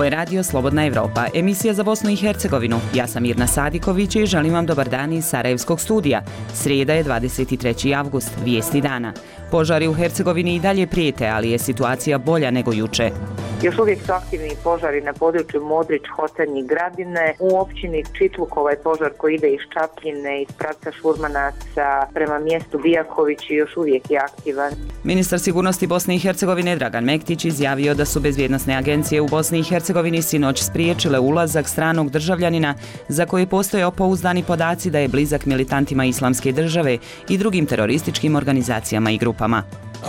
Ovo je Radio Slobodna Evropa, emisija za Bosnu i Hercegovinu. Ja sam Mirna Sadiković i želim vam dobar dan iz Sarajevskog studija. Srijeda je 23. avgust, vijesti dana. Požari u Hercegovini i dalje prijete, ali je situacija bolja nego juče. Još uvijek su aktivni požari na području Modrić, Hotanj i Gradine. U općini Čitluk ovaj požar koji ide iz Čapljine, iz pravca Šurmanaca prema mjestu Bijaković još uvijek je aktivan. Ministar sigurnosti Bosne i Hercegovine Dragan Mektić izjavio da su bezbjednosne agencije u Bosni i Hercegovini sinoć spriječile ulazak stranog državljanina za koje postoje pouzdani podaci da je blizak militantima Islamske države i drugim terorističkim organizacijama i grupama.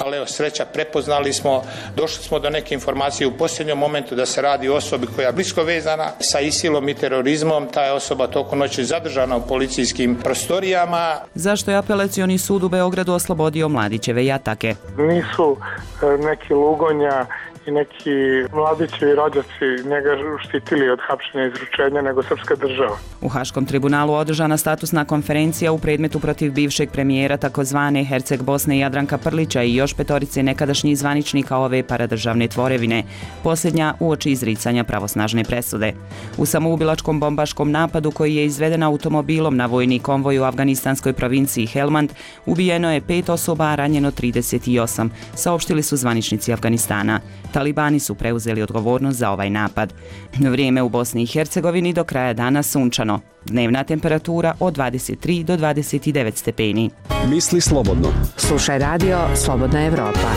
Ali evo, sreća, prepoznali smo, došli smo do neke informacije u posljednjem momentu da se radi o osobi koja je blisko vezana sa ISIL-om i terorizmom. Ta je osoba tokom noći zadržana u policijskim prostorijama. Zašto je apelacioni sud u Beogradu oslobodio Mladićeve jatake? Nisu neki Lugonja i neki mladićevi rođaci njega štitili od hapšenja i izručenja nego srpska država. U Haškom tribunalu održana statusna konferencija u predmetu protiv bivšeg premijera takozvane Herceg Bosne Jadranka Prlića i još petorice nekadašnjih zvaničnika ove paradržavne tvorevine, posljednja uoči izricanja pravosnažne presude. U samoubilačkom bombaškom napadu koji je izveden automobilom na vojni konvoj u afganistanskoj provinciji Helmand ubijeno je 5 osoba, a ranjeno 38, saopštili su zvaničnici Afganistana. Talibani su preuzeli odgovornost za ovaj napad. Vrijeme u Bosni i Hercegovini do kraja dana sunčano. Dnevna temperatura od 23 do 29 stepeni. Misli slobodno. Slušaj Radio Slobodna Evropa.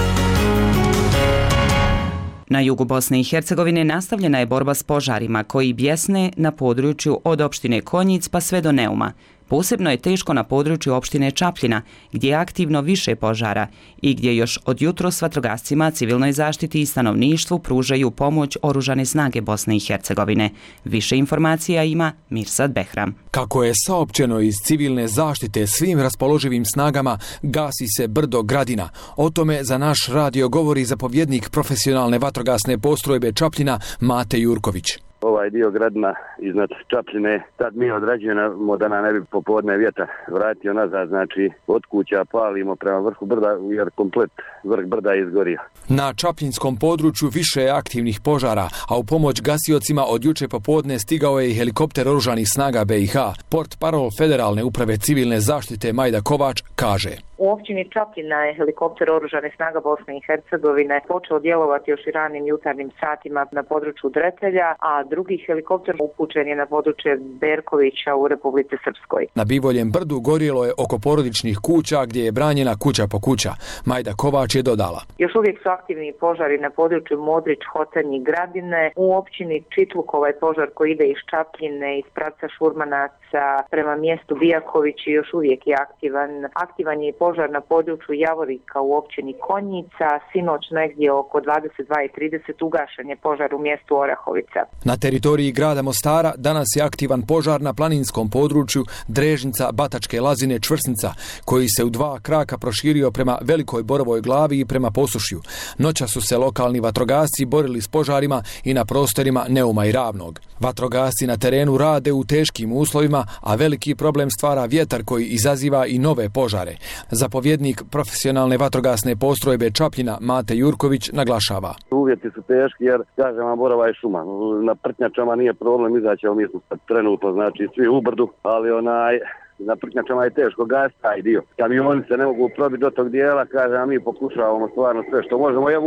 Na jugu Bosne i Hercegovine nastavljena je borba s požarima koji bjesne na području od opštine Konjic pa sve do Neuma. Posebno je teško na području opštine Čapljina, gdje je aktivno više požara i gdje još od jutros vatrogascima, civilnoj zaštiti i stanovništvu pružaju pomoć oružane snage Bosne i Hercegovine. Više informacija ima Mirsad Behram. Kako je saopćeno iz civilne zaštite svim raspoloživim snagama, gasi se brdo Gradina. O tome za naš radio govori zapovjednik profesionalne vatrogasne postrojbe Čapljina Mate Jurković. Ovaj dio Gradina iznad Čapljine, tad mi odrađujemo da nam ne bi popodne vjetar vratio nazad, znači od kuća palimo prema vrhu brda jer komplet vrh brda je izgorio. Na čapljinskom području više je aktivnih požara, a u pomoć gasiocima od juče popodne stigao je i helikopter oružanih snaga BiH. Portparol Federalne uprave civilne zaštite Majda Kovač kaže: U općini Čapljina je helikopter oružane snaga Bosne i Hercegovine počeo djelovati još i ranim jutarnjim satima na području Dretelja, a drugi helikopter upućen je na područje Berkovića u Republici Srpskoj. Na Bivoljem brdu gorjelo je oko porodičnih kuća gdje je branjena kuća po kuća. Majda Kovač je dodala: Još uvijek su aktivni požari na području Modrić, Hotanj i Gradine. U općini Čitluk ovaj požar koji ide iz Čapljine, iz pravca Šurmanaca prema mjestu Bijaković još uvijek je aktivan. Aktivan je požar na području Javorika u općini Konjica. Sinoć negdje oko 22:30 ugašen je požar u mjestu Orahovica. Na teritoriji grada Mostara danas je aktivan požar na planinskom području Drežnica, Batačke Lazine, Čvrsnica, koji se u 2 kraka proširio prema Velikoj Borovoj glavi i prema Posušju. Noća su se lokalni vatrogasci borili s požarima i na prostorima Neuma i Ravnog. Vatrogasci na terenu rade u teškim uslovima, a veliki problem stvara vjetar koji izaziva i nove požare. Zapovjednik profesionalne vatrogasne postrojbe Čapljina Mate Jurković naglašava: Uvjeti su teški jer, kažem vam, borova je šuma. Na Prtnjačama nije problem izaći, ali mi smo trenutno, znači, svi u brdu, ali na Prtnjačama je teško gas taj dio. Kamioni se ne mogu probiti do tog dijela, kažem, a mi pokušavamo stvarno sve što možemo. Evo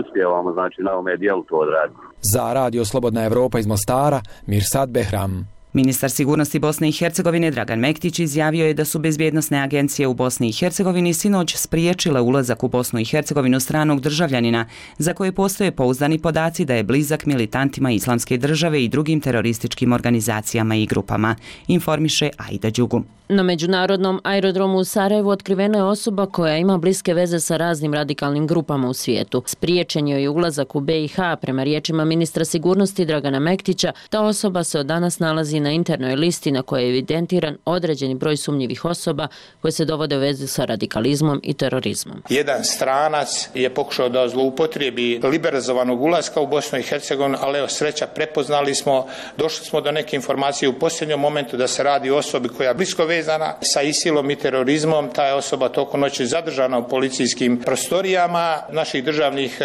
uspijevamo, znači, na ovome dijelu to odraditi. Za Radio Slobodna Evropa iz Mostara, Mirsad Behram. Ministar sigurnosti Bosne i Hercegovine Dragan Mektić izjavio je da su bezbjednosne agencije u Bosni i Hercegovini sinoć spriječile ulazak u Bosnu i Hercegovinu stranog državljanina za koje postoje pouzdani podaci da je blizak militantima Islamske države i drugim terorističkim organizacijama i grupama, informiše Aida Đugu. Na međunarodnom aerodromu u Sarajevu otkrivena je osoba koja ima bliske veze sa raznim radikalnim grupama u svijetu. Spriječen je ulazak u BiH, prema riječima ministra sigurnosti Dragana Mektića. Ta osoba se od danas nalazi na internoj listi na kojoj je evidentiran određeni broj sumnjivih osoba koje se dovode u vezu sa radikalizmom i terorizmom. Jedan stranac je pokušao da zloupotrijebi liberalizovanog ulaska u Bosnu i Hercegovinu, ali evo sreća, prepoznali smo, došli smo do neke informacije u posljednjem momentu da se radi o osobi koja je blisko vezana sa ISIL-om i terorizmom. Ta je osoba tokom noći zadržana u policijskim prostorijama naših državnih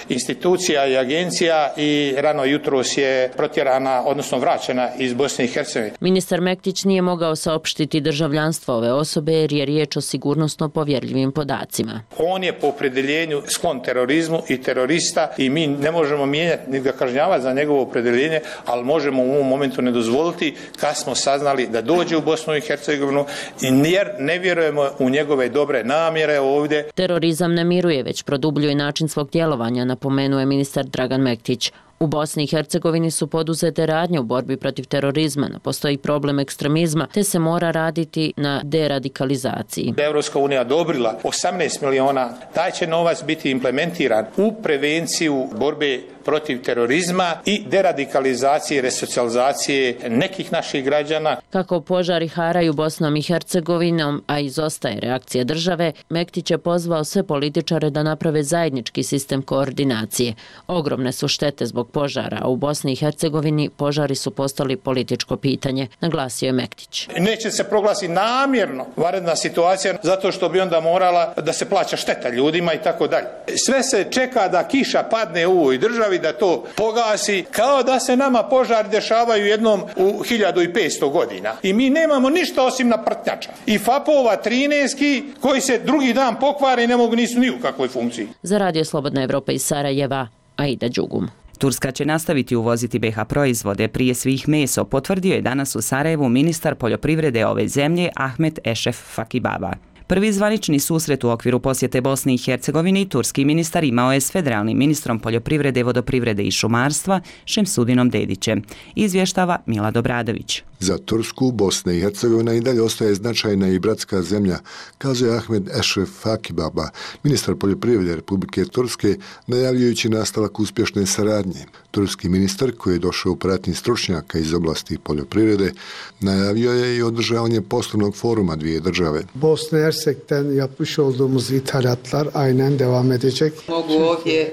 institucija i agencija i rano jutros je protjerana, odnosno vraćena iz Bosne i Hercegovine. Ministar Mektić nije mogao saopštiti državljanstvo ove osobe jer je riječ o sigurnosno povjerljivim podacima. On je po opredjeljenju sklon terorizmu i terorista i mi ne možemo mijenjati ni ga kažnjavati za njegovo opredjeljenje, ali možemo u ovom momentu ne dozvoliti kad smo saznali da dođe u Bosnu i Hercegovinu jer ne vjerujemo u njegove dobre namjere ovdje. Terorizam ne miruje, već produbljuje način svog djelovanja, napomenuo je ministar Dragan Mektić. U Bosni i Hercegovini su poduzete radnje u borbi protiv terorizma, postoji problem ekstremizma, te se mora raditi na deradikalizaciji. Evropska unija odobrila 18 miliona, taj će novac biti implementiran u prevenciju borbe protiv terorizma i deradikalizacije i resocijalizacije nekih naših građana. Kako požari haraju Bosnom i Hercegovinom, a izostaje reakcija države, Mektić je pozvao sve političare da naprave zajednički sistem koordinacije. Ogromne su štete zbog požara, a u Bosni i Hercegovini požari su postali političko pitanje, naglasio je Mektić. Neće se proglasiti namjerno vanredna situacija zato što bi onda morala da se plaća šteta ljudima i tako dalje. Sve se čeka da kiša padne u ovoj državi, da to pogasi, kao da se nama požari dešavaju jednom u 1500 godina. I mi nemamo ništa osim naprtnjača. I FAP-ova 13 koji se drugi dan pokvare i ne mogu, nisu ni u kakvoj funkciji. Za Radio Slobodna Evropa iz Sarajeva, Aida Đugum. Turska će nastaviti uvoziti BiH proizvode, prije svih meso, potvrdio je danas u Sarajevu ministar poljoprivrede ove zemlje Ahmet Ešref Fakibaba. Prvi zvanični susret u okviru posjete Bosni i Hercegovini turski ministar imao je s federalnim ministrom poljoprivrede, vodoprivrede i šumarstva Šemsudinom Dedićem, izvještava Milad Obradović. Za Tursku, Bosna i Hercegovina i dalje ostaje značajna i bratska zemlja, kaže Ahmed Ešref Fakibaba, ministar poljoprivrede Republike Turske, najavljujući nastavak uspješne saradnje. Turski ministar, koji je došao u pratnji stručnjaka iz oblasti poljoprivrede, najavio je i održavanje poslovnog foruma dvije države. Bosna i Hersek'ten yapmış olduğumuz ithalatlar aynen devam edecek. Mogu ovdje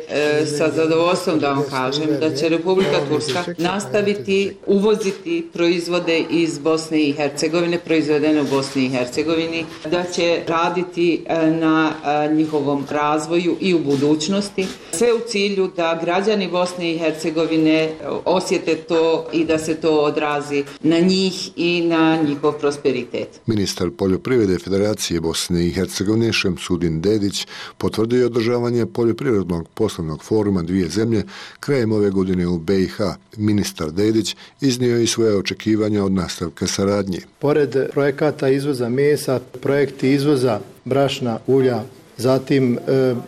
sa zadovoljstvom da vam kažem da će Republika Turska nastaviti uvoziti proizvode iz Bosne i Hercegovine, proizvedene u Bosni i Hercegovini, da će raditi na njihovom razvoju i u budućnosti. Sve u cilju da građani Bosne i Hercegovine osjete to i da se to odrazi na njih i na njihov prosperitet. Ministar poljoprivrede Federacije Bosne i Hercegovine Šemsudin Dedić potvrdio održavanje poljoprivrednog poslovnog foruma dvije zemlje krajem ove godine u BiH. Ministar Dedić iznio i svoje očekivanja od nastavka saradnje. Pored projekata izvoza mesa, projekti izvoza brašna, ulja, zatim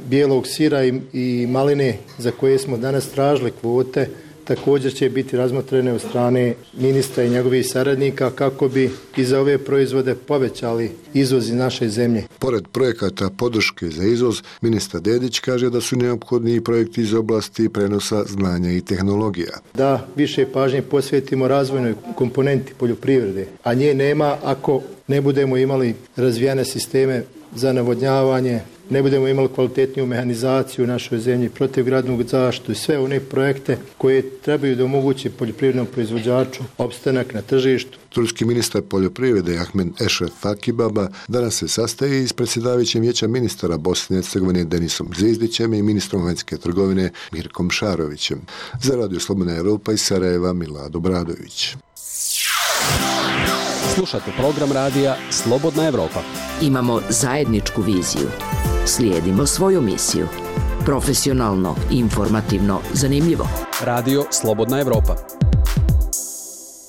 bijelog sira i maline za koje smo danas tražili kvote, također će biti razmotrene od strane ministra i njegovih saradnika kako bi i za ove proizvode povećali izvoz iz naše zemlje. Pored projekata podrške za izvoz, ministar Dedić kaže da su neophodni i projekti iz oblasti prenosa znanja i tehnologija. Da više pažnje posvetimo razvojnoj komponenti poljoprivrede, a nje nema ako ne budemo imali razvijene sisteme za navodnjavanje, ne budemo imali kvalitetniju mehanizaciju u našoj zemlji, protivgradnu zaštitu i sve one projekte koje trebaju da omoguće poljoprivrednom proizvođaču opstanak na tržištu. Turski ministar poljoprivrede Ahmed Ešref Fakibaba danas se sastaje s predsjedavajućim vijeća ministara Bosne i Hercegovine Denisom Zvizdićem i ministrom vanjske trgovine Mirkom Šarovićem. Za Radio Slobodna Evropa iz Sarajeva Milad Obradović. Slušate program radija Slobodna Evropa. Imamo zajedničku viziju. Slijedimo svoju misiju. Profesionalno, informativno, zanimljivo. Radio Slobodna Evropa.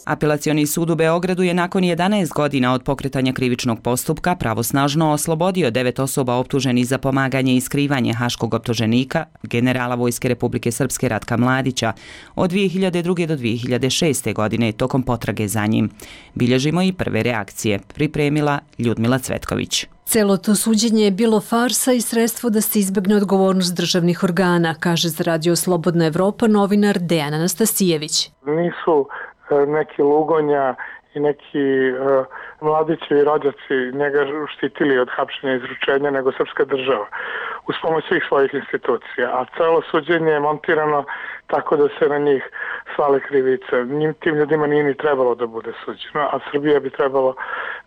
Apelacioni sud u Beogradu je nakon 11 godina od pokretanja krivičnog postupka pravosnažno oslobodio 9 osoba optuženih za pomaganje i skrivanje haškog optuženika, generala Vojske Republike Srpske Ratka Mladića, od 2002. do 2006. godine tokom potrage za njim. Bilježimo i prve reakcije, pripremila Ljudmila Cvetković. Celo to suđenje je bilo farsa i sredstvo da se izbegne odgovornost državnih organa, kaže za Radio Slobodna Evropa novinar Dejan Anastasijević. Nisu neki Lugonja i neki mladićevi rođaci njega štitili od hapšenja i izručenja nego srpska država uz pomoć svih svojih institucija, a celo suđenje je montirano tako da se na njih svale krivice. Tim ljudima nije ni trebalo da bude suđeno, a Srbija bi trebalo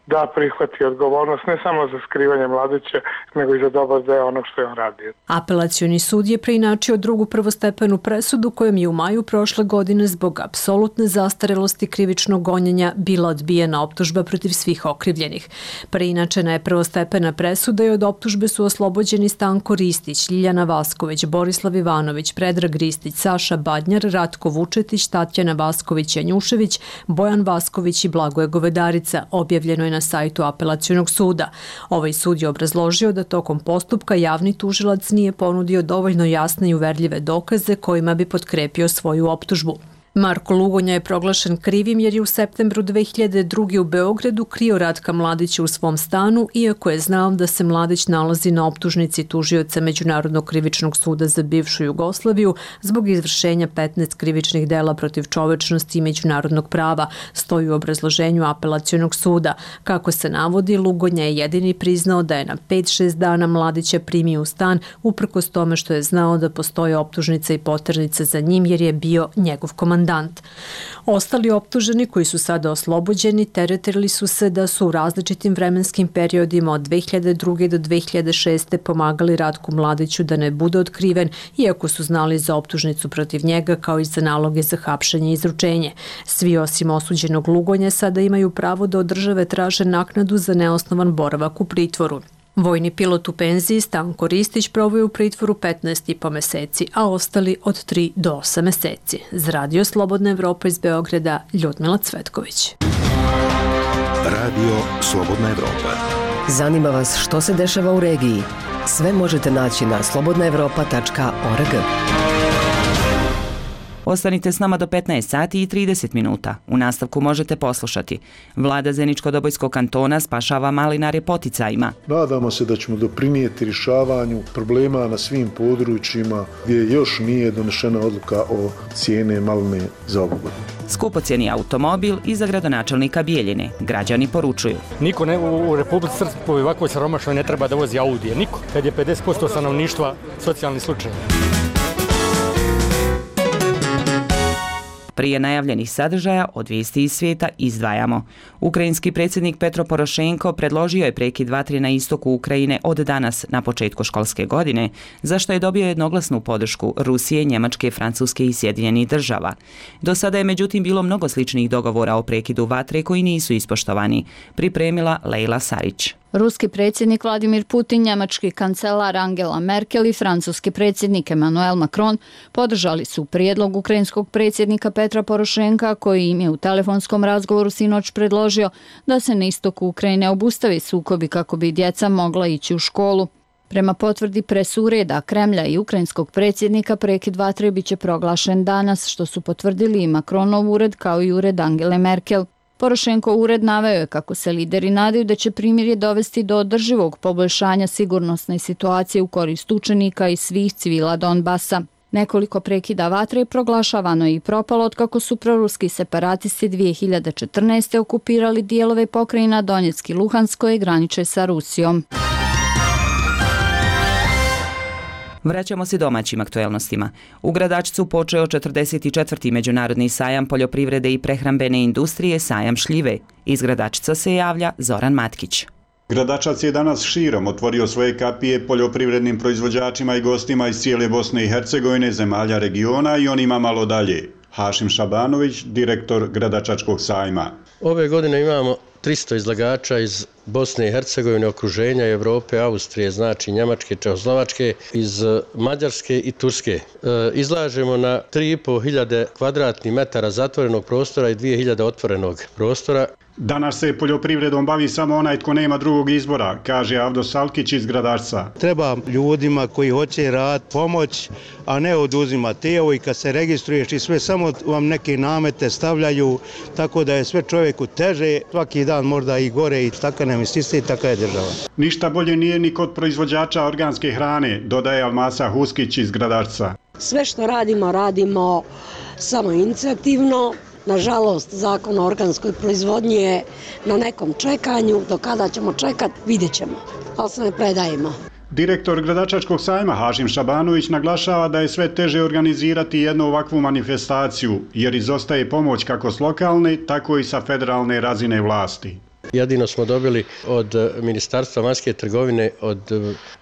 da prihvati odgovornost ne samo za skrivanje Mladića, nego i za dobar deo onog što je on radio. Apelacioni sud je preinačio drugu prvostepenu presudu kojom je u maju prošle godine zbog apsolutne zastarelosti krivičnog gonjenja bila odbijena optužba protiv svih okrivljenih. Preinačena je prvostepena presuda i od optužbe su oslobođeni Stanko Ristić, Ljiljana Vasković, Borislav Ivanović, Predrag Ristić, Saša Badnjar, Ratko Vučetić, Tatjana Vasković-Janjušević, Bojan Vasković i Blagoje Govedarica, objavljeno je na sajtu Apelacionog suda. Ovaj sud je obrazložio da tokom postupka javni tužilac nije ponudio dovoljno jasne i uverljive dokaze kojima bi potkrepio svoju optužbu. Marko Lugonja je proglašen krivim jer je u septembru 2002. u Beogradu krio Ratka Mladića u svom stanu, iako je znao da se Mladić nalazi na optužnici tužioca Međunarodnog krivičnog suda za bivšu Jugoslaviju zbog izvršenja 15 krivičnih dela protiv čovečnosti i međunarodnog prava, stoji u obrazloženju Apelacionog suda. Kako se navodi, Lugonja je jedini priznao da je na 5-6 dana Mladića primio u stan, uprkos tome što je znao da postoje optužnica i poternica za njim jer je bio njegov komandant. Ostali optuženi koji su sada oslobođeni teretili su se da su u različitim vremenskim periodima od 2002. do 2006. pomagali Ratku Mladiću da ne bude otkriven, iako su znali za optužnicu protiv njega kao i za naloge za hapšenje i izručenje. Svi osim osuđenog Lugonja sada imaju pravo da od države traže naknadu za neosnovan boravak u pritvoru. Vojni pilot u penziji Stanko Ristić proveo je u pritvoru 15,5 meseci, a ostali od 3 do 8 meseci. Za Radio Slobodna Evropa iz Beograda, Ljudmila Cvetković. Radio Slobodna Evropa. Zanima vas što se dešava u regiji? Sve možete naći na slobodnaevropa.org. Ostanite s nama do 15 sati i 30 minuta. U nastavku možete poslušati. Vlada Zeničko-Dobojskog kantona spašava malinare poticajima. Nadamo se da ćemo doprinijeti rješavanju problema na svim područjima gdje još nije donešena odluka o cijene maline za ovu godinu. Skupocjeni automobil i za gradonačelnika Bijeljine. Građani poručuju. Niko u Republici Srpskoj ovakvoj siromašnoj ne treba da vozi Audije. Niko. Kad je 50% stanovništva socijalni slučaj. Prije najavljenih sadržaja od vijesti iz svijeta izdvajamo. Ukrajinski predsjednik Petro Porošenko predložio je prekid vatre na istoku Ukrajine od danas na početku školske godine, za što je dobio jednoglasnu podršku Rusije, Njemačke, Francuske i Sjedinjenih država. Do sada je međutim bilo mnogo sličnih dogovora o prekidu vatre koji nisu ispoštovani, pripremila Lejla Sarić. Ruski predsjednik Vladimir Putin, njemački kancelar Angela Merkel i francuski predsjednik Emmanuel Macron podržali su prijedlog ukrajinskog predsjednika Petra Porošenka koji im je u telefonskom razgovoru sinoć predložio da se na istoku Ukrajine obustavi sukobi kako bi djeca mogla ići u školu. Prema potvrdi presureda Kremlja i ukrajinskog predsjednika prekid vatre biće proglašen danas, što su potvrdili i Macronov ured kao i ured Angele Merkel. Porošenkov ured naveo je kako se lideri nadaju da će primirje dovesti do održivog poboljšanja sigurnosne situacije u korist učenika i svih civila Donbasa. Nekoliko prekida vatre je proglašavano i propalo otkako su proruski separatisti 2014. okupirali dijelove pokrajina Donjecki i Luhansk koje graniče sa Rusijom. Vraćamo se domaćim aktuelnostima. U Gradačcu počeo 44. međunarodni sajam poljoprivrede i prehrambene industrije Sajam šljive. Iz Gradačca se javlja Zoran Matkić. Gradačac je danas širom otvorio svoje kapije poljoprivrednim proizvođačima i gostima iz cijele Bosne i Hercegovine, zemalja regiona i onima malo dalje. Hašim Šabanović, direktor Gradačačkog sajma. Ove godine imamo 300 izlagača iz Bosne i Hercegovine, okruženja, Evrope, Austrije, znači Njemačke, Čehoslovačke, iz Mađarske i Turske. Izlažemo na 3.500 kvadratnih metara zatvorenog prostora i 2.000 otvorenog prostora. Danas se poljoprivredom bavi samo onaj tko nema drugog izbora, kaže Avdo Salkić iz Gradačca. Treba ljudima koji hoće rad pomoć, a ne oduzimati. Evo i kad se registruješ i sve, samo vam neke namete stavljaju, tako da je sve čovjeku teže, svaki dan možda i gore i tako nam isiste i taka je država. Ništa bolje nije ni kod proizvođača organske hrane, dodaje Almasa Huskić iz Gradačca. Sve što radimo, radimo samo inicijativno. Nažalost, zakon o organskoj proizvodnji je na nekom čekanju, do kada ćemo čekati, vidjet ćemo, ali se ne predajemo. Direktor Gradačačkog sajma Hašim Šabanović naglašava da je sve teže organizirati jednu ovakvu manifestaciju, jer izostaje pomoć kako s lokalne, tako i sa federalne razine vlasti. Jedino smo dobili od Ministarstva vanjske trgovine, od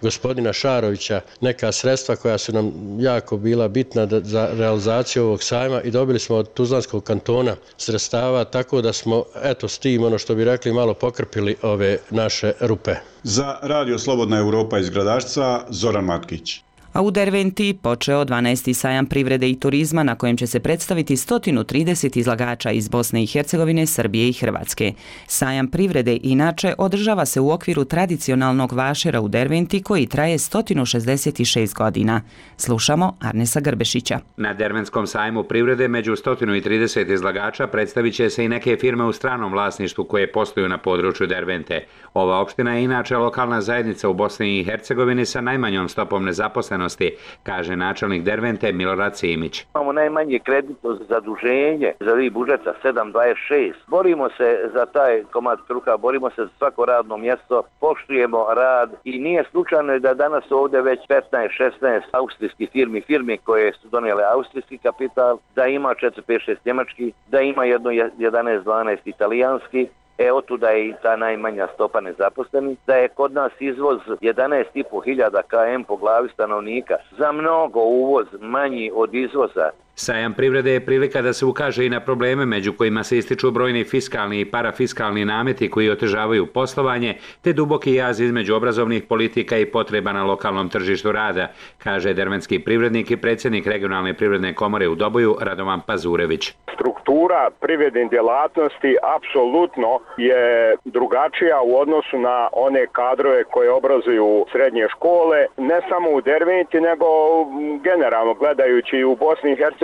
gospodina Šarovića, neka sredstva koja su nam jako bila bitna za realizaciju ovog sajma i dobili smo od Tuzlanskog kantona sredstava, tako da smo, eto, s tim, ono što bi rekli, malo pokrpili ove naše rupe. Za Radio Slobodna Evropa iz Gradačca, Zoran Matkić. A u Derventi počeo 12. sajam privrede i turizma na kojem će se predstaviti 130 izlagača iz Bosne i Hercegovine, Srbije i Hrvatske. Sajam privrede inače održava se u okviru tradicionalnog vašera u Derventi koji traje 166 godina. Slušamo Arnesa Grbešića. Na Derventskom sajmu privrede među 130 izlagača predstavit će se i neke firme u stranom vlasništvu koje posluju na području Dervente. Ova opština je inače lokalna zajednica u Bosni i Hercegovini sa najmanjom stopom nezaposlenosti, kaže načelnik Dervente Milorad Simić. Imamo najmanje kreditno zaduženje za budžeta 7,26. Borimo se za taj komad kruha, borimo se za svako radno mjesto, poštujemo rad i nije slučajno da danas ovdje već 15-16 austrijskih firmi koje su donijele austrijski kapital, da ima 4-5-6 njemački, da ima jedno 11-12 italijanski. Otuda je i ta najmanja stopa nezaposlenih, da je kod nas izvoz 11.500 km po glavi stanovnika, za mnogo uvoz manji od izvoza. Sajam privrede je prilika da se ukaže i na probleme među kojima se ističu brojni fiskalni i parafiskalni nameti koji otežavaju poslovanje, te duboki jaz između obrazovnih politika i potreba na lokalnom tržištu rada, kaže derventski privrednik i predsjednik regionalne privredne komore u Doboju Radovan Pazurević. Struktura privrednih djelatnosti apsolutno je drugačija u odnosu na one kadrove koje obrazuju srednje škole, ne samo u Derventi, nego generalno gledajući u Bosni i Hercegovini.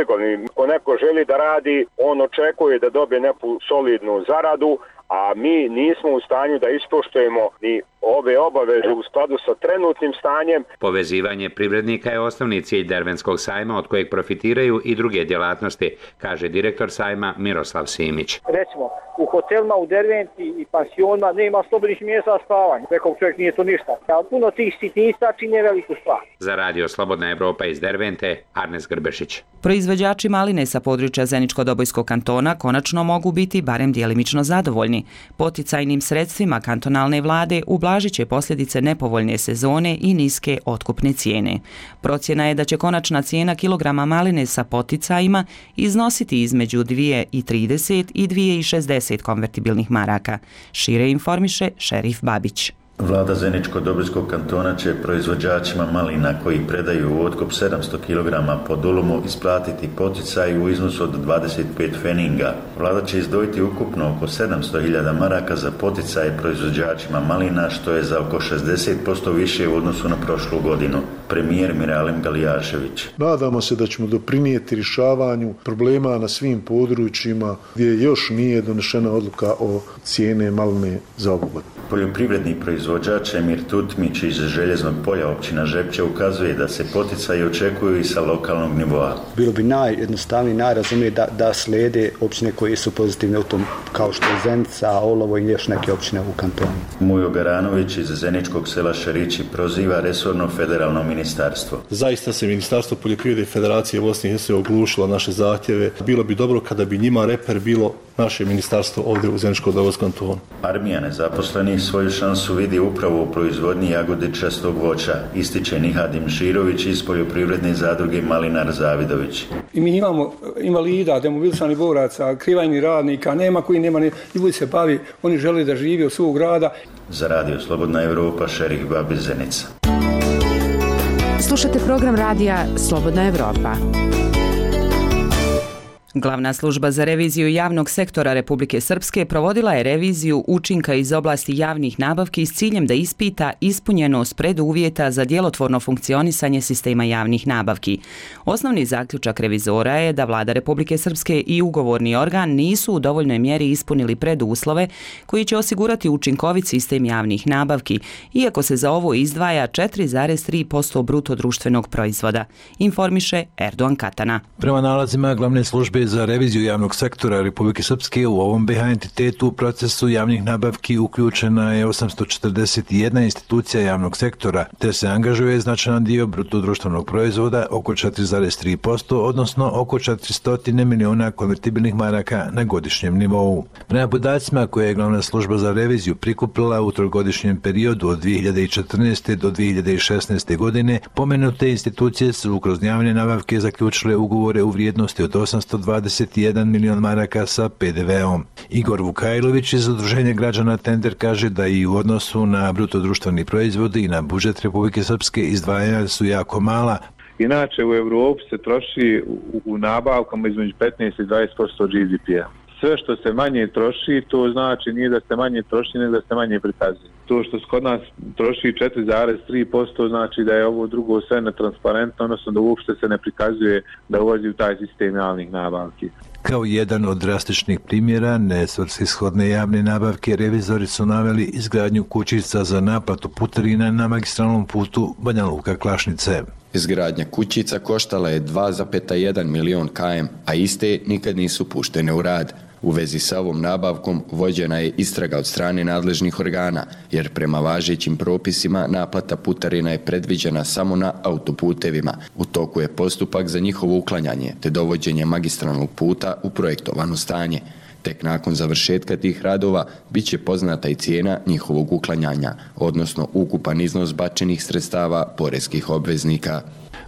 Ako neko želi da radi, on očekuje da dobije neku solidnu zaradu, a mi nismo u stanju da ispoštujemo ni ove obaveze u skladu sa trenutnim stanjem. Povezivanje privrednika je osnovni cilj Derventskog sajma od kojeg profitiraju i druge djelatnosti, kaže direktor sajma Miroslav Simić. Recimo, u hotelima u Derventi i pansionima nema slobodnih mjesta spavanja. Rekao čovjek nije to ništa. Ali puno tih sitnica čine veliku stvar. Za Radio Slobodna Evropa iz Dervente, Arnes Grbešić. Proizvođači maline sa područja Zeničko-Dobojskog kantona konačno mogu biti barem djelimično zadovoljni. Poticajnim sredstvima kantonalne vlade ublažit će posljedice nepovoljne sezone i niske otkupne cijene. Procjena je da će konačna cijena kilograma maline sa poticajima iznositi između 2,30 i 2,60 konvertibilnih maraka. Šire informiše Šerif Babić. Vlada Zeničko-Dobojskog kantona će proizvođačima malina koji predaju u otkup 700 kg po dulumu isplatiti poticaj u iznosu od 25 feninga. Vlada će izdvojiti ukupno oko 700.000 maraka za poticaje proizvođačima malina, što je za oko 60% više u odnosu na prošlu godinu. Premijer Miralim Galijašević. Nadamo se da ćemo doprinijeti rješavanju problema na svim područjima gdje još nije donešena odluka o cijene maline za ovu godinu. Poljoprivredni proizvođač Emir Tutmić iz Željeznog polja općina Žepče ukazuje da se poticaji očekuju i sa lokalnog nivoa. Bilo bi najjednostavnije, najrazumnije da slijede općine koje su pozitivne u tom, kao što je Zenica, Olovo i još neke općine u kantonu. Mujo Garanović iz Zeničkog sela Šarići proziva resorno federalno ministarstvo. Zaista se Ministarstvo poljoprivrede i Federacije Bosne i Hercegovine oglušilo naše zahtjeve. Bilo bi dobro kada bi njima reper bilo naše ministarstvo ovdje u Zeničko-Dobojskom kantonu. Armija nezaposlenih svoju šansu vidi upravo u proizvodnji jagodičastog voća, ističe Nihadim Širović iz poljoprivredne zadruge Malinar Zavidović. I mi imamo invalida, demobilisanih boraca, krivajnih radnika, nema koji nema, ljudi se bavi, oni žele da žive od svog grada. Za Radio Slobodna Evropa, Šerif Babić, Zenica. Slušate program radija Slobodna Evropa. Glavna služba za reviziju javnog sektora Republike Srpske provodila je reviziju učinka iz oblasti javnih nabavki s ciljem da ispita ispunjenost preduvjeta za djelotvorno funkcionisanje sistema javnih nabavki. Osnovni zaključak revizora je da Vlada Republike Srpske i ugovorni organ nisu u dovoljnoj mjeri ispunili preduslove koji će osigurati učinkovit sistem javnih nabavki, iako se za ovo izdvaja 4,3% bruto društvenog proizvoda, informiše Erdogan Katana. Prema nalazima glavne službe službe za reviziju javnog sektora Republike Srpske u ovom BiH entitetu u procesu javnih nabavki uključena je 841 institucija javnog sektora, te se angažuje značajan dio bruto društvenog proizvoda, oko 4,3%, odnosno oko 400 miliona konvertibilnih maraka na godišnjem nivou. Prema podacima koje je glavna služba za reviziju prikupila u trogodišnjem periodu od 2014. do 2016. godine, pomenute institucije su kroz javne nabavke zaključile ugovore u vrijednosti od 821 milion maraka sa PDV-om. Igor Vukajlović iz Udruženja građana Tender kaže da i u odnosu na bruto društveni proizvod i na budžet Republike Srpske izdvajanja su jako mala. Inače u Evropi se troši u nabavkama između 15 i 20% GDP-a. Sve što se manje troši, to znači nije da se manje troši, nego da se manje prikazuje. To što se kod nas troši 4,3%, znači da je ovo drugo sve netransparentno, odnosno da uopšte se ne prikazuje da ulazi u taj sistem javnih nabavki. Kao jedan od drastičnih primjera nesvrsishodne javne nabavke, revizori su naveli izgradnju kućica za naplatu putarina na magistralnom putu Banja Luka-Klašnice. Izgradnja kućica koštala je 2,1 milion km, a iste nikad nisu puštene u rad. U vezi sa ovom nabavkom vođena je istraga od strane nadležnih organa, jer prema važećim propisima naplata putarina je predviđena samo na autoputevima. U toku je postupak za njihovo uklanjanje te dovođenje magistralnog puta u projektovano stanje. Tek nakon završetka tih radova bit će poznata i cijena njihovog uklanjanja, odnosno ukupan iznos bačenih sredstava poreskih obveznika.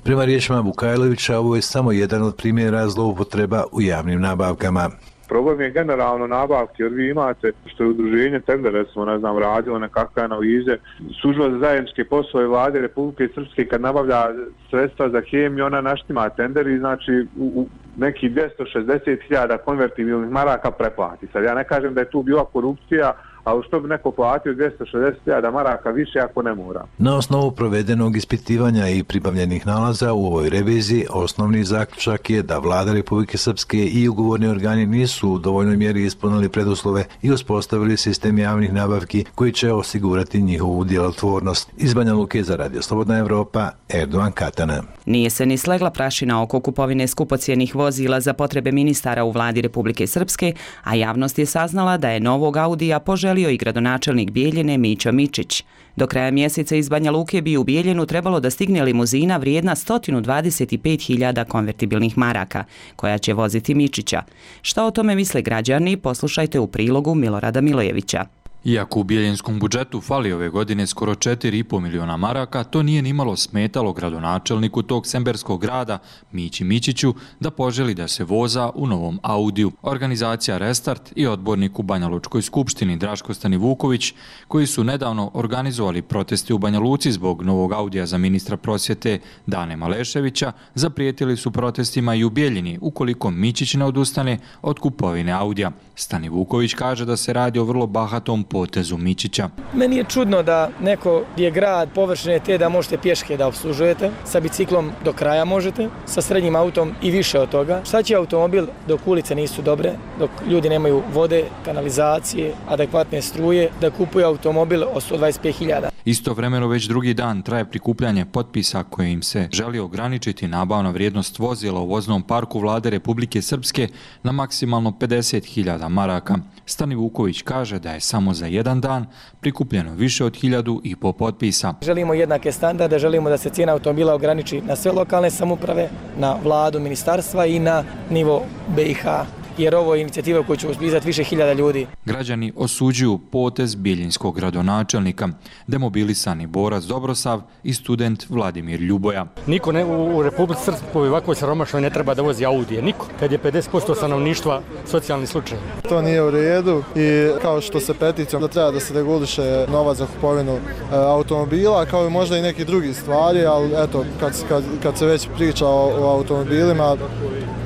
Prema riječima Vukajlovića, ovo je samo jedan od primjera zloupotreba u javnim nabavkama. Problem je generalno nabavke, jer vi imate, što je udruženje Tender, recimo, radilo nekakve analize, služba za zajedničke poslove vlade Republike Srpske kad nabavlja sredstva za hemiju, ona naštima tender i znači u neki 260.000 konvertibilnih maraka preplati. Sad ja ne kažem da je tu bila korupcija, ali što bi neko platio 260.000 maraka više ako ne mora. Na osnovu provedenog ispitivanja i pribavljenih nalaza u ovoj reviziji, osnovni zaključak je da vlada Republike Srpske i ugovorni organi nisu u dovoljnoj mjeri ispunili preduslove i uspostavili sistem javnih nabavki koji će osigurati njihovu djelotvornost. Iz Banja Luke za Radio Slobodna Evropa, Erdovan Katana. Nije se ni slegla prašina oko kupovine skupocijenih vozila za potrebe ministara u vladi Republike Srpske, a javnost je saznala da je novog Audija poželio i gradonačelnik Bijeljine Mićo Mičić. Do kraja mjeseca iz Banja Luke bi u Bijeljinu trebalo da stigne limuzina vrijedna 125.000 konvertibilnih maraka, koja će voziti Mičića. Šta o tome misle građani, poslušajte u prilogu Milorada Milojevića. Iako u bijeljinskom budžetu fali ove godine skoro 4,5 miliona maraka, to nije nimalo smetalo gradonačelniku tog semberskog grada, Mići Mičiću, da poželi da se voza u novom Audiju. Organizacija Restart i odbornik u Banja Lučkoj skupštini Draško Stanivuković, koji su nedavno organizovali proteste u Banja Luci zbog novog Audija za ministra prosvjete Dane Maleševića, zaprijetili su protestima i u Bijeljini ukoliko Mičić ne odustane od kupovine Audija. Stanivuković kaže da se radi o vrlo bahatom potezu Mičića. Meni je čudno da neko je grad površine te da možete pješke da obslužujete, sa biciklom do kraja možete, sa srednjim autom i više od toga. Šta će automobil dok ulice nisu dobre, dok ljudi nemaju vode, kanalizacije, adekvatne struje, da kupuje automobil od 125.000? Istovremeno već drugi dan traje prikupljanje potpisa koje im se želi ograničiti nabavna vrijednost vozila u voznom parku vlade Republike Srpske na maksimalno 50.000 maraka. Stanivuković kaže da je samo za jedan dan prikupljeno više od 1.500 potpisa. Želimo jednake standarde, želimo da se cijena automobila ograniči na sve lokalne samouprave, na vladu, ministarstva i na nivo BiH. Jer ovo je inicijativa koju će uspizati više hiljada ljudi. Građani osuđuju potez bijeljinskog gradonačelnika, demobilisani borac Dobrosav i student Vladimir Ljuboja. Niko u Republici Srpskoj ovako siromašnoj ne treba da vozi Audije, niko, kad je 50% stanovništva socijalni slučaj. To nije u redu i kao što se peticijom da treba da se reguliše novac za kupovinu automobila, kao i možda i neki drugi stvari, ali eto, kad se već priča o automobilima,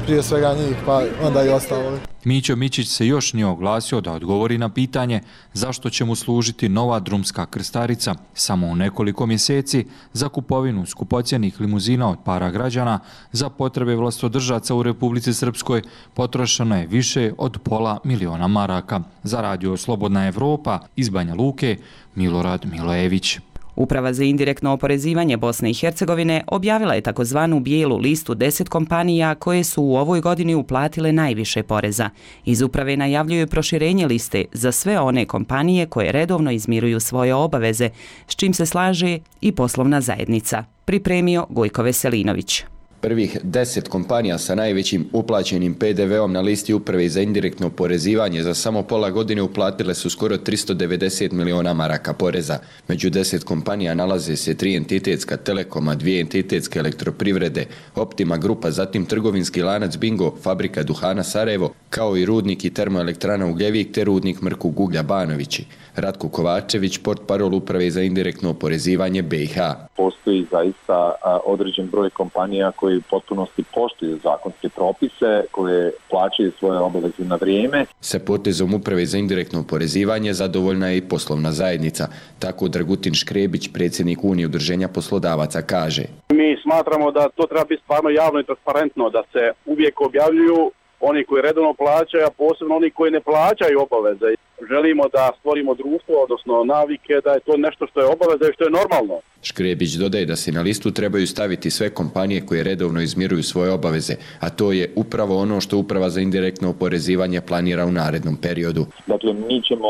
prije svega njih, pa onda i ostalo. Mićo Mičić se još nije oglasio da odgovori na pitanje zašto će mu služiti nova drumska krstarica samo u nekoliko mjeseci za kupovinu skupocjenih limuzina od para građana za potrebe vlastodržaca u Republici Srpskoj potrošeno je više od 500.000 maraka. Za Radio Slobodna Evropa iz Banja Luke, Milorad Milojević. Uprava za indirektno oporezivanje Bosne i Hercegovine objavila je takozvanu bijelu listu 10 kompanija koje su u ovoj godini uplatile najviše poreza. Iz uprave najavljuju proširenje liste za sve one kompanije koje redovno izmiruju svoje obaveze, s čim se slaže i poslovna zajednica. Pripremio Gojko Veselinović. Prvih 10 kompanija sa najvećim uplaćenim PDV-om na listi uprave za indirektno oporezivanje za samo pola godine uplatile su skoro 390 miliona maraka poreza. Među 10 kompanija nalaze se 3 entitetska Telekoma, 2 entitetske elektroprivrede, Optima Grupa, zatim trgovinski lanac Bingo, fabrika duhana Sarajevo, kao i rudnik i termoelektrana Ugljevik te rudnik Mrkog uglja Banovići. Ratko Kovačević, portparol uprave za indirektno oporezivanje BiH. Postoji zaista određen broj kompanija koji u potpunosti poštuju zakonske propise, koje plaćaju svoje obaveze na vrijeme. Sa potezom uprave za indirektno oporezivanje zadovoljna je i poslovna zajednica. Tako Dragutin Škrebić, predsjednik Unije udruženja poslodavaca, kaže: Mi smatramo da to treba biti stvarno javno i transparentno, da se uvijek objavljuju oni koji redovno plaćaju, a posebno oni koji ne plaćaju obaveze. Želimo da stvorimo društvo, odnosno navike, da je to nešto što je obaveza i što je normalno. Škrebić dodaje da se na listu trebaju staviti sve kompanije koje redovno izmiruju svoje obaveze, a to je upravo ono što Uprava za indirektno oporezivanje planira u narednom periodu. Dakle, mi ćemo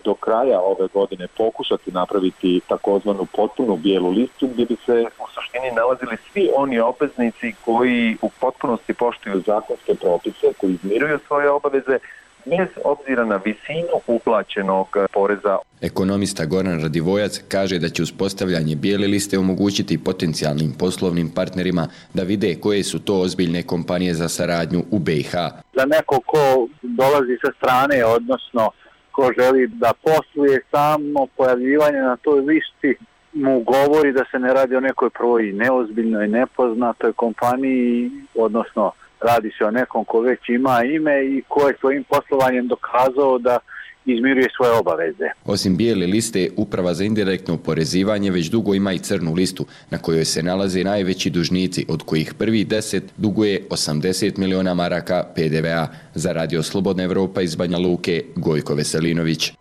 do kraja ove godine pokušati napraviti takozvanu potpunu bijelu listu gdje bi se u suštini nalazili svi oni obveznici koji u potpunosti poštuju zakonske propise, koji izmiruju svoje obaveze, bez obzira na visinu uplaćenog poreza. Ekonomista Goran Radivojac kaže da će uspostavljanje bijele liste omogućiti potencijalnim poslovnim partnerima da vide koje su to ozbiljne kompanije za saradnju u BiH. Za neko ko dolazi sa strane, odnosno ko želi da posluje, samo pojavljivanje na toj listi mu govori da se ne radi o nekoj prvoj neozbiljnoj, nepoznatoj kompaniji, odnosno radi se o nekom ko već ima ime i ko je svojim poslovanjem dokazao da izmiruje svoje obaveze. Osim bijele liste, Uprava za indirektno oporezivanje već dugo ima i crnu listu na kojoj se nalaze najveći dužnici, od kojih prvi 10 duguje 80 miliona maraka PDV-a. Za Radio Slobodna Evropa iz Banja Luke, Gojko Veselinović.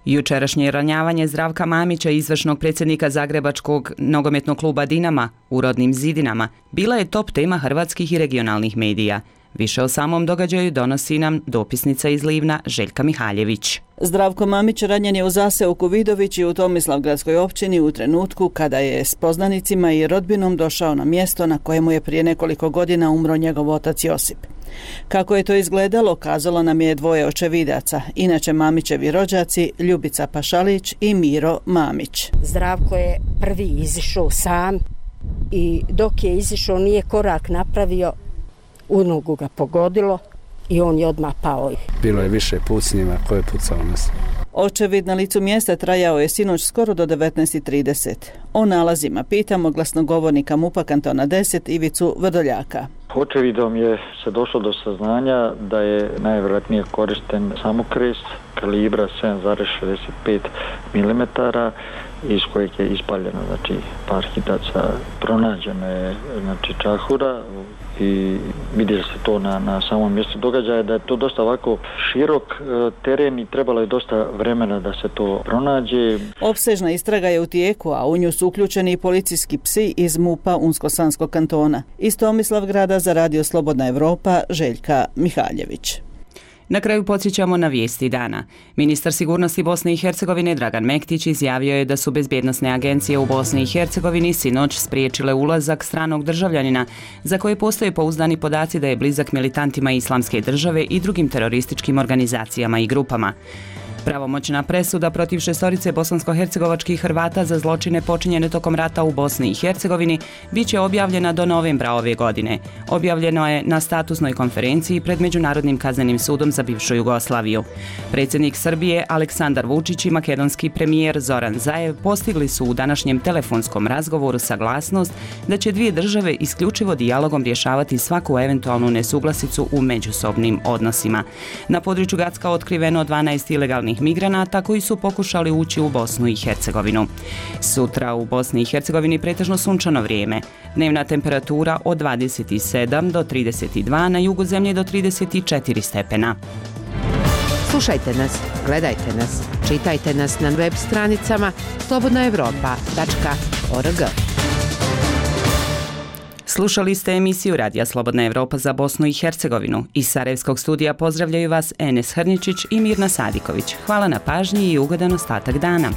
Jučerašnje ranjavanje Zdravka Mamića, izvršnog predsjednika Zagrebačkog nogometnog kluba Dinama u rodnim Zidinama, bila je top tema hrvatskih i regionalnih medija. Više o samom događaju donosi nam dopisnica iz Livna Željka Mihaljević. Zdravko Mamić ranjen je u zaseoku Vidovići u Tomislavgradskoj općini u trenutku kada je s poznanicima i rodbinom došao na mjesto na kojemu je prije nekoliko godina umro njegov otac Josip. Kako je to izgledalo, kazalo nam je dvoje očevidaca, inače Mamićevi rođaci Ljubica Pašalić i Miro Mamić. Zdravko je prvi izišao sam i dok je izišao nije korak napravio, u nogu ga pogodilo i on je odmah pao. Bilo je više pucnjeva koje je pucao nas. Očevid na licu mjesta trajao je sinoć skoro do 19:30. O nalazima pitamo glasnogovornika MUP-a kantona 10 Ivicu Vrdoljaka. Očevidom je se došlo do saznanja da je najvjerojatnije korišten samokrest kalibra 7,65 mm iz kojeg je ispaljeno par hitaca. Pronađeno je čahura i vidi se to na samom mjestu događaja da je to dosta ovako širok teren i trebalo je dosta vremena da se to pronađe. Opsežna istraga je u tijeku, a u nju su uključeni i policijski psi iz MUP-a Unsko-Sanskog kantona. Iz Tomislavgrada za Radio Slobodna Evropa Željka Mihaljević. Na kraju podsjećamo na vijesti dana. Ministar sigurnosti Bosne i Hercegovine Dragan Mektić izjavio je da su bezbjednosne agencije u Bosni i Hercegovini sinoć spriječile ulazak stranog državljanina za koje postoje pouzdani podaci da je blizak militantima Islamske države i drugim terorističkim organizacijama i grupama. Pravomoćna presuda protiv 6 bosansko-hercegovačkih Hrvata za zločine počinjene tokom rata u Bosni i Hercegovini bit će objavljena do novembra ove godine. Objavljeno je na statusnoj konferenciji pred Međunarodnim kaznenim sudom za bivšu Jugoslaviju. Predsjednik Srbije Aleksandar Vučić i makedonski premijer Zoran Zaev postigli su u današnjem telefonskom razgovoru saglasnost da će dvije države isključivo dijalogom rješavati svaku eventualnu nesuglasicu u međusobnim odnosima. Na području Gacka otkriveno 12 ilegalnih migranata koji su pokušali ući u Bosnu i Hercegovinu. Sutra u Bosni i Hercegovini pretežno sunčano vrijeme. Dnevna temperatura od 27 do 32, na jugu zemlje do 34 stepena. Slušajte nas, gledajte nas, čitajte nas na web stranicama slobodnaevropa.org. Slušali ste emisiju Radija Slobodna Evropa za Bosnu i Hercegovinu. Iz Sarajevskog studija pozdravljaju vas Enes Hrničić i Mirna Sadiković. Hvala na pažnji i ugodan ostatak dana.